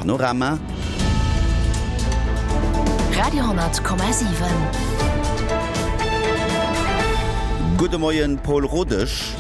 Panorama. Radio,7. Gudde Moien, Paul Rodesch.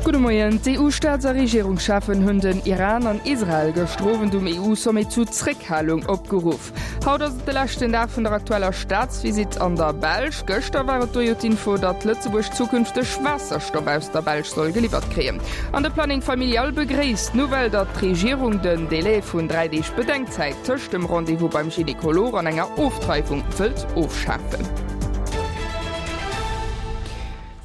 Gudde Moien. D'EU-Staats a Regierungscheffen hunn den Iran an Israel gëschter Owend um EU-Sommet zu Zréckhalung opgeruff. Haut ass et de leschten Dag vun der aktueller Staatsvisitt an der Belsch. Gëschter war et do jo d'Info, datt Lëtzebuerg zukünfteg Waasserstoff aus der Belsch soll geliwwert kréien. An de Planning Familial begréisst d'Nouvelle, datt d'Regierung den Delai vun 3 Deeg Bedenkzäit tëscht dem Rendez-vous beim Gynekolog an enger Ofdreiwung wëllt ofschafen.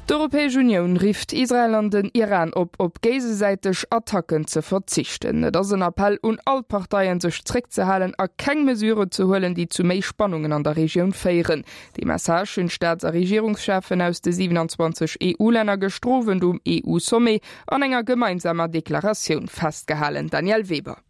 D'Europäesch Unioun rifft Israel an den Iran op, op géigesäiteg Attacken ze verzichten. Et ass en Appell un all d'Parteien, sech zréckzehalen a keng Mesuren ze huelen, déi zu méi Spannungen an der Regioun féieren. Dee Message hunn d'Staats a Regierungscheffen aus de 27 EU-Länner gëschter Owend um EU-Sommet an enger gemeinsamer Deklaratioun festgehalen. Danièle Weber.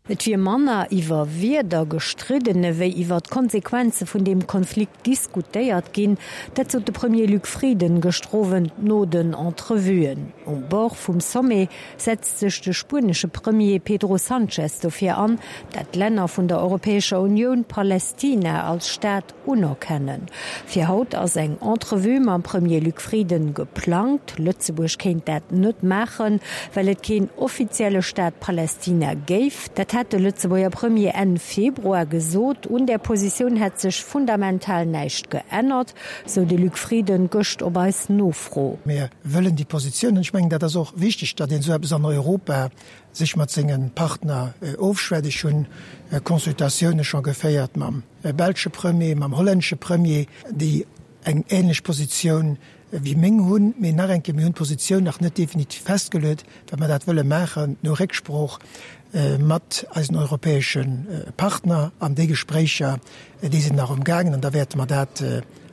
Et wier manner iwwer Wierder gestridden ewéi iwwer d'Konsequenze vun deem Konflikt diskutéiert ginn. Dat sot de Premier Luc Frieden gëschter Owend no den Entrevuen. Um Bord vum Sommet setzt sech de spuenesche Premier Pedro Sanchez dofir an, dat d'Länner vun der Europäescher Unioun Palästina als Staat Unerkennen. Fir haut ass eng Entrevue mam Premier Luc Frieden geplangt. Lëtzebuerg kéint dat net maachen, well et keen offizielle Staat Palästina géif. Dat hat de Lëtzebuerger Premier Enn Februar gesot. Un där Positioun hätt sech fundamental näischt geännert, sou de Luc Frieden gëscht op eis Nofro. Mir wëllen déi Positioun, an ech mengen, dat ass och wichteg, datt een esou eppes an Europa sech mat senge Partner ofschwätzt. Ech hunn Consultatioune scho geféiert mam belsche Premier, mam hollännesche Premier, déi eng ähnlech Positioun wéi meng hunn. Mee nach eng Kéier, mir hunn d'Positioun nach net definitiv festgeluet, well mer dat wëlle maachen no Récksprooch mat eisen europäesche Partner. An déi Gespréicher, déi sinn nach umgaangen an da wäerte mer dat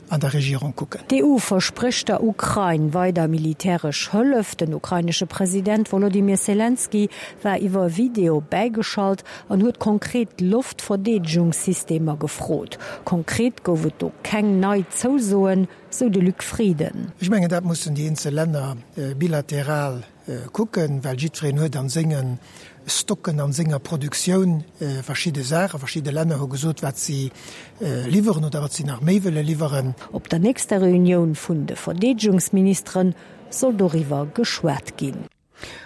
an der Regierung kucken. D'EU versprécht der Ukrain weider militäresch Hëllef. Den ukrainesche President Wolodymyr Selenskyj war iwwer Video bäigeschalt an huet konkret Loftverdeedegungssystemer gefrot. Konkret gouf et do keng nei Zousoen, sou de Luc Frieden. Ech mengen, dat mussen déi eenzel Länner bilateral kucken, well jiddwereen huet a senge Stocken, a senger Produktioun verschidde Saachen. Verschidde Länner hu gesot, wat si liwweren oder wat si nach méi wëlle liwweren. Op der nächster Reunioun vun de Verdeedegungsministere soll doriwwer geschwat ginn.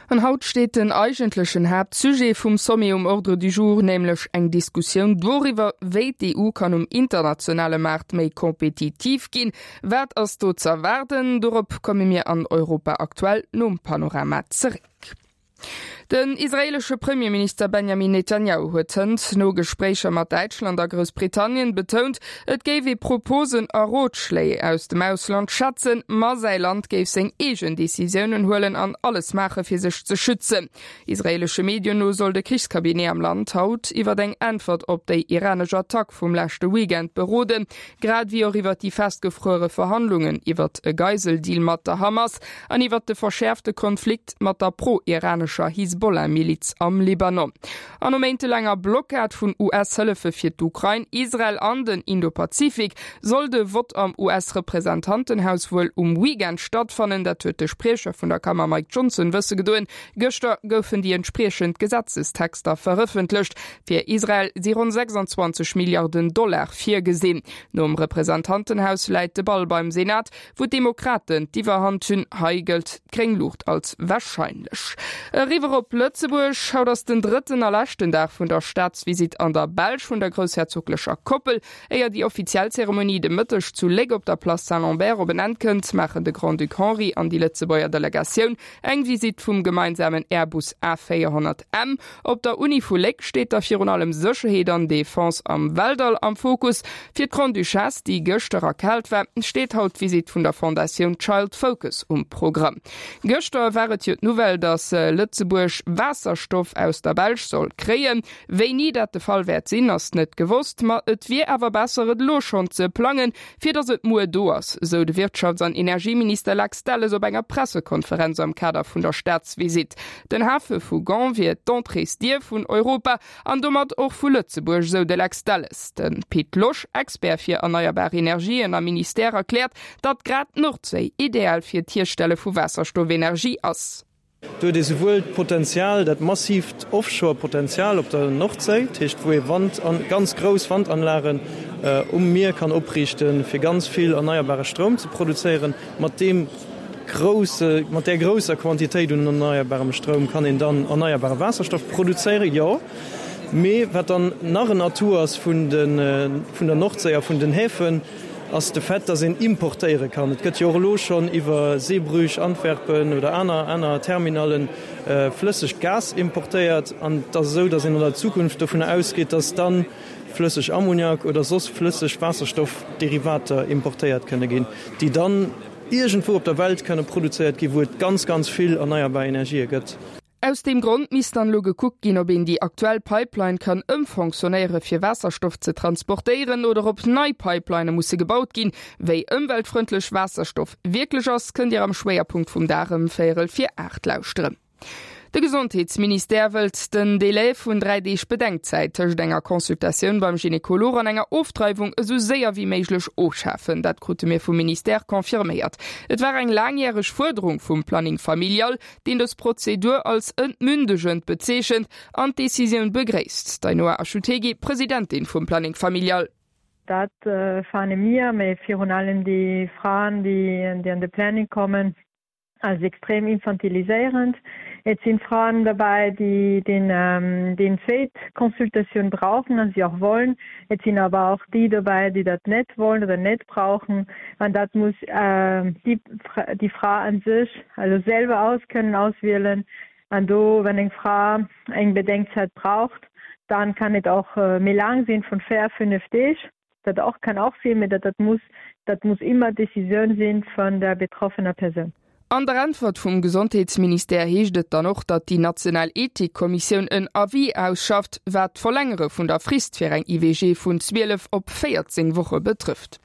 An haut steet den eigentlechen Haaptsujet vum Sommet um Ordre du jour, nämlech eng Diskussioun doriwwer, wéi d'EU kann um internationale Maart méi kompetitiv ginn. Wat ass do z'erwaarden? Dorop komme mir an Europa Aktuell nom Panorama zeréck. Den israeelesche Premierminister Benjamin Netanjahu huet hënt no Gespréicher mat Däitschland a Groussbritannien betount, et géif ee Proposen a Rotschléi aus dem Ausland schätzen, ma säi Land géif seng eegen Decisiounen huelen an alles maache fir sech ze schützen. Israeelesche Medien no soll de Krichscabinet am Land haut iwwer eng Äntwert op déi iranesch Attack vum leschte Weekend beroden, grad ewéi och iwwer déi festgefruere Verhandlungen iwwert e Geiseldeal mat der Hamas an iwwert de verschäerfte Konflikt mat der pro-iranescher Hisbollah-Miliz am Libanon. An no méintelaanger Blockad vun US-Hëllefe fir d'Ukrain, Israel an den Indopazifik soll de Vott am US-Representantenhaus wuel um Weekend stattfannen. Dat huet de Spriecher vun der Kammer Mike Johnson wësse gedoen. Gëschter goufen déi entspriechend Gesetzestexter verëffentlecht. Fir Israel si ronn 26 Milliarden Dollar virgesinn. Nom Representantenhaus läit de Ball beim Senat, wou d'Demokraten d'Iwwerhand hunn. Hei gëllt d'gréng Luucht als warscheinlech. Eriwwer op Lëtzebuerg, Haut ass den drëtten a leschten Dag vun der Staatsvisitt an der Belsch vun der groussherzoglecher Koppel. Éier déi offiziell Zeremonie de Mëtteg zu Léck op der Place Saint-Lambert op en Enn kënnt, maachen de Grand-Duc Henri an déi Lëtzebuerger Delegatioun Eng Visitt vum gemeinsamen Airbus A 400 M op der Uni vu Léck steet da virun allem Sécherheet an Defense am Weltall am Fokus. Fir d'Grande-Duchesse, déi gëschter erkaalt war, steet haut d'Visitt vun der Fondatioun Child Focus um Programm. Gëschter war et jo d'Nouvelle, datt Lëtzebuerg Waasserstoff aus der Belsch soll kréien. Wéini dat de Fall wäert sinn, ass net gewosst, ma et wier awer besser et elo schonn ze plangen, fir datt et muer do ass, sou de Wirtschafts an Energieminister Lex Delles op enger Pressekonferenz am Kader vun der Staatsvisitt. Den Hafe vu Gand wier d'Entréesdier vun Europa an domat och vu Lëtzebuerg, sou de Lex Delles. De Pit Losch, Expert fir erneierbar Energien am Ministère, erkläert, datt grad d'Nordséi ideal fir d'Hierstelle vu Waasserstoffenergie ass. Do huet ee souwuel d'Potenzial, dat massiivt Offshore-Potenzial op der Nordséi, dat heescht wou ee Wand an ganz grouss Wandanlagen um Mier kann opriichten, fir ganz vill erneierbare Stroum ze produzéieren. Mat deem grousse, mat där grousser Quantitéit un erneierbarem Stroum kann een dann erneierbare Waasserstoff produzéieren, jo. Mee wat dann nach en Atout ass vun de, vun der Nordséi a vun den Häfen, ass de Fait, dass een importéiere kann. Et gëtt jo och elo schonn iwwer Zeebrugge, Antwerpen oder aner, aner Terminallen flëssegt Gas importéiert. An et ass esou, dass een an der Zukunft dovunner ausgeet, dass dann flësseg Ammoniak oder soss flësseg Waasserstoffderivater importéiert kënne ginn, déi dann iergendwou op der Welt kënne produzéiert ginn, wou et ganz, ganz vill erneierbar Energië gëtt. Aus deem Grond misst dann elo gekuckt ginn, ob een déi aktuell Pipeline kann ëmfonctionnéiere fir Waasserstoff ze transportéieren oder ob nei Pipelinë musse gebaut ginn. Wéi ëmweltfrëndlech Waasserstoff wierklech ass, kënnt Dir am Schwéierpunkt vum Dag ëm véierel vir 8 lauschteren. De Gesondheetsministère wëllt den Delai vun 3 Deeg Bedenkzäit tëscht enger Consultatioun beim Gynekolog an enger Ofdreiwung esou séier wéi méiglech ofschafen. Dat krute mir vum Ministère confirméiert. Et war eng laangjäreg Fuerderung vum Planning familial, deen dës Prozedur als entmündegend bezeechent an d'Decisioun begréisst. D'Ainhoa Achutegui, Presidentin vum Planning familial. Dat fane mir, mee virun allem déi Fraen, déi an de Planning kommen, als extrem infantiliséierend. Et sinn Fraen derbäi, déi den zweet Consultatioun brauchen an si och wollen. Et sinn awer och déi dobäi, déi dat net wollen oder net brauchen. An dat muss déi Fra an sech also selwer aus kënnen auswielen. An do, wann eng Fra eng Bedenkzäit braucht, dann kann et och méi laang sinn, vun 4, 5 Deeg. Dat och kann och sinn, mee dat dat muss dat muss ëmmer d'Decisioun sinn vun der betroffener Persoun. An der Äntwert vum Gesondheetsministère heescht et dann och, datt déi national Ethikkommissioun en Avis ausschafft, wat d'Verlängere vun der Frist fir eng IVG vun 12 op 14 Woche betrëfft.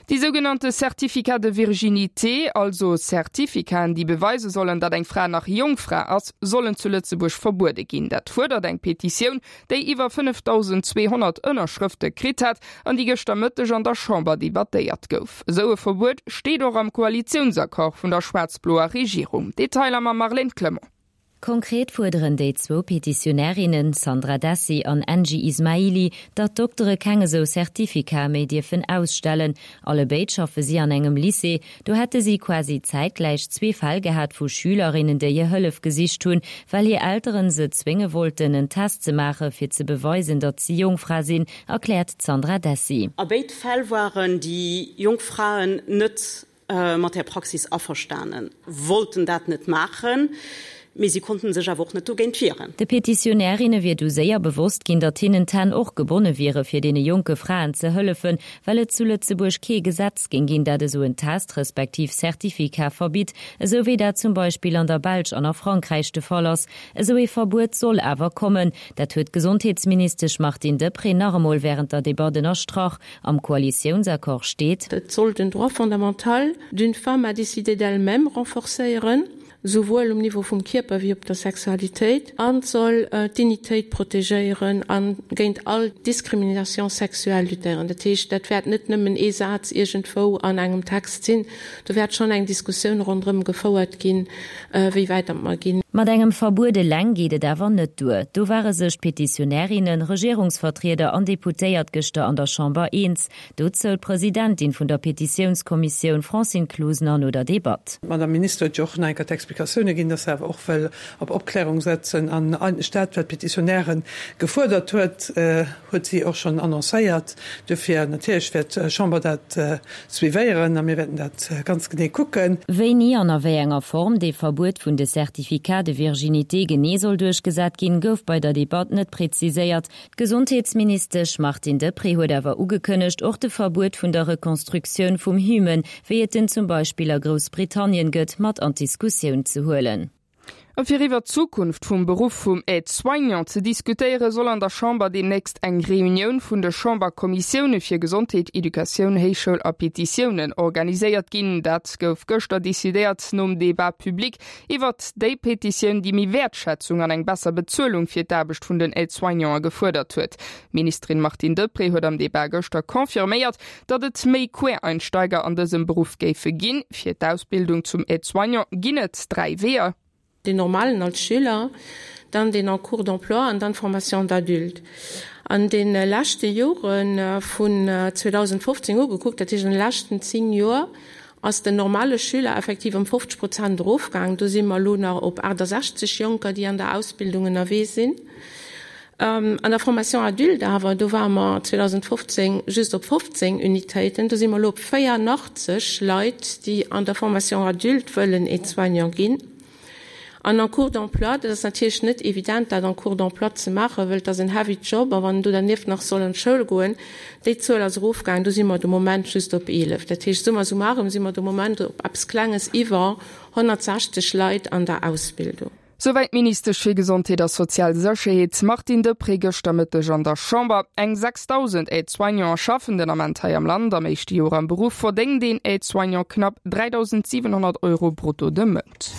Déi sougenannte Certificats de virginité, also Certificaten, déi beweise sollen, datt eng Fra nach Jongfra ass, sollen zu Lëtzebuerg verbuede ginn. Dat fuerdert eng Petitioun, déi iwwer 5.200 Ënnerschrëfte kritt hat an déi gëschter Mëtteg an der Chamber debattéiert gouf. Esou e Verbuet steet och am Koalitiounsaccord vun der schwaarz-bloer Regierung. Detailer mam Marlène Clement. Konkret fuerderen déi zwou Petitionärinnen, Sandra Dessi an Engie Ismaili, datt d'Doktere keng esou Certificate méi dierfen ausstellen. Allebéid schaffe si an engem Lycée. Do hätte si quasi zäitgläich zwee Fäll gehat vu Schülerinnen, déi hir Hëllef gesicht hunn, well hir Elteren se zwénge wollten, en Test ze maache fir ze beweisen, datt si Jongfra sinn, erkläert d'Sandra Dessi. A béid Fäll waren déi jonk Fraen net mat där Praxis averstanen, wollten dat net maachen, mee si konnten sech awer och net dogéint wieren. De Petitionärinne wier du séier bewosst ginn, datt hinnen d'Hänn och gebonne wiere fir deene jonke Fraen ze hëllefen, well et zu Lëtzebuerg kee Gesetz géing ginn, dat esou en Test respektiv Certificat verbitt, esou wéi dat zum Beispill an der Belsch an a Frankräich de Fall ass. Esou ee Verbuet soll awer kommen. Dat huet d'Gesondheetsministesch Martine Deprez nach emol wärend der Debatt ënnerstrach. Am Koalitiounsaccord steet. Et soll den Droit fondamental d'une femme à décider d'elle-même renforcéieren, souwuel um Niveau vum Kierper wéi op der Sexualitéit, an et soll d'Dignitéit protegéieren a géint all Discrimination sexuelle luttéieren. Dat heescht, dat wäert net nëmmen ee Saz iergendwou an engem Text sinn, do wäert schonn eng Diskussioun ronderëm gefouert ginn, wéi wäit datt mer ginn. Mat engem Verbuet eleng geet et awer net duer. Do ware sech d'Petitionärinnen, Regierungsvertrieder an Deputéiert gëschter an der Chamber eens. Dozou d'Presidentin vun der Petitiounskommissioun Francine Closener no der Debatt. D'Madame Minister huet jo och nach eng Kéier d'Explikatioune ginn, dass se awer och wëll op Opklärung setzen. An eigentlech dat, wat d'Petitionäre gefuerdert huet, huet si och schonn annoncéiert. Duerfir, natierlech wäert d'Chamber dat suivéieren a mir wäerten dat ganz genee kucken. Wéini an a wéi enger Form dee Verbuet vun de Certificats de virginité genee soll duerchgesat ginn, gouf bei der Debatt net präziséiert. D'Gesondheetsministesch Martine Deprez huet awer ugekënnegt, och de Verbuet vun der Reconstructioun vum Hymen, wéi et en zum Beispill a Groussbritannien gëtt, mat an d'Diskussioun ze huelen. A fir iwwer d'Zukunft vum Beruff vum Aide-soignant ze diskutéieren, soll an der Chamber deemnächst eng Reunioun vun de Chamberkommissioune fir Gesondheet, Educatioun, Héichschoul a Petitiounen organiséiert ginn. Dat gouf gëschter decidéiert nom Debat public iwwert déi Petitioun, déi méi Wäertschätzung an eng besser Bezuelung fir d'Aarbecht vun den Aide-soignanten gefuerdert huet. D'Ministerin Martine Deprez huet am Debat gëschter confirméiert, datt et méi Quereinsteiger an dësem Beruff géife ginn. Fir d'Ausbildung zum Aide-soignant ginn et 3 Weeër. Deen normalen als Schüler, dann deen en cours d'emploi an dann d'Formation d'adulte. An de leschte Jore vun 2015 u gekuckt, dat heescht an de leschten 10 Joer, ass den normale Schüler effektiv ëm 50 Prozent erofgaangen. Do si mer elo nach op 68 Jonker, déi an der Ausbildung ënnerwee sinn. An der Formation adulte awer, do ware mer 2015 just op 15 Unitéiten, do si mer elo op 84 Leit, déi an der Formation adulte wëllen Aide-soignant ginn. An en cours d'emploi, dat ass natierlech net evident, dat en cours d'emploi ze maachen, wëll et ass en heavy Job a wann en do dernieft nach soll an d'Schoul goen, déi Zuel ass erofgaangen, do si mer de Moment just op 11. Dat heescht, summa summarum si mer de Moment op eppes Klenges iwwer 160 Leit an der Ausbildung. Souwäit d'Ministesch fir Gesondheet a sozial Sécherheet Martine Deprez gëschter Mëtteg an der Chamber. Eng 6.000 Aide-soignanten schaffen den Ament hei am Land. Am éischte Joer am Beruff verdéngt een Aide-soignant knapp 3.700 Euro brutto de Mount.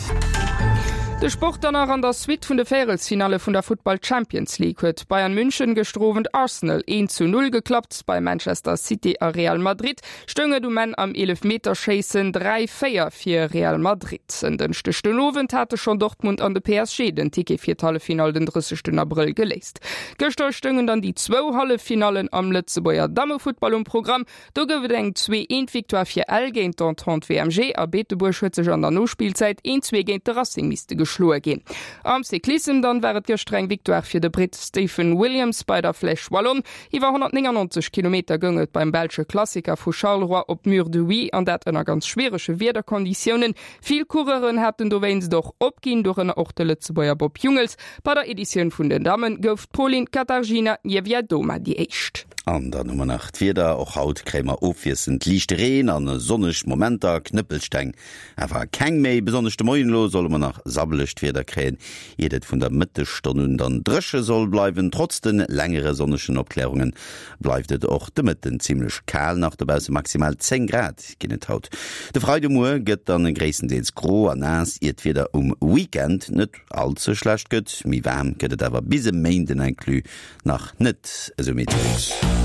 De Sport dann nach, An der Suite vun de Véierelsfinalle vun der Futtball Champions League huet Bayern München gëschter Owend Arsenal 1 zu 0 geklappt. Bei Manchester City a Real Madrid Stoung et um Enn am Eelefmeterschéissen 3, 4 fir Real Madrid. En Dënschdeg den Owend hate schonn Dortmund an de PSG den Ticket fir d'Halleffinall den 30 Abrëll geléist. Gëschter stoungen dann déi zwou Halleffinallen am Lëtzebuerger Dammefuttball um Programm. Do gouf et eng 2, 1 Victoire fir Ell géint d'Entente WMG a Beetebuerg huet sech an der Nospillzäit 1, 2 géint de Racing misste geschloe ginn. Am Cyclissem dann war et gëschter eng Victoire fir de Britt Stephen Williams bei der Flèche Wallonne. Iwwer 199 Kilometer goung et beim belsche Klassiker vu Charleroi op d'Mur de Huy, an dat ënner ganz schwierege Wiederkonditiounen. Vill Coureuren haten dowéinst och opginn, dorënner och de Lëtzebuerger Bob Jungels. Bei der Editioun vun den Damme gouf d'Polin Katarzyna Niewiadoma déi éischt. An dann hu mer nach d'Wieder, Och haut kréie mer ofwiesselnd liichte Reen a sonneg Momenter, Knëppelsteng awer keng méi. Besonnesch de Moien elo solle mer nach sabbelegt Wieder kréien, iert et vun der Mëttesstonn un dann dréche soll bleiwen. Trotz de längere sonnegen Opklärunge bleift et och de Mëtten zimmlech kal nach dobausse, maximal 10 Grad ginn et haut. De Freidemuer gëtt dann gréisstendeels gro a naass, iert d'Wieder um Weekend net all ze schlecht gëtt. Méi waarm gëtt et awer bis e Méinden inclus nach net, esou Meteolux.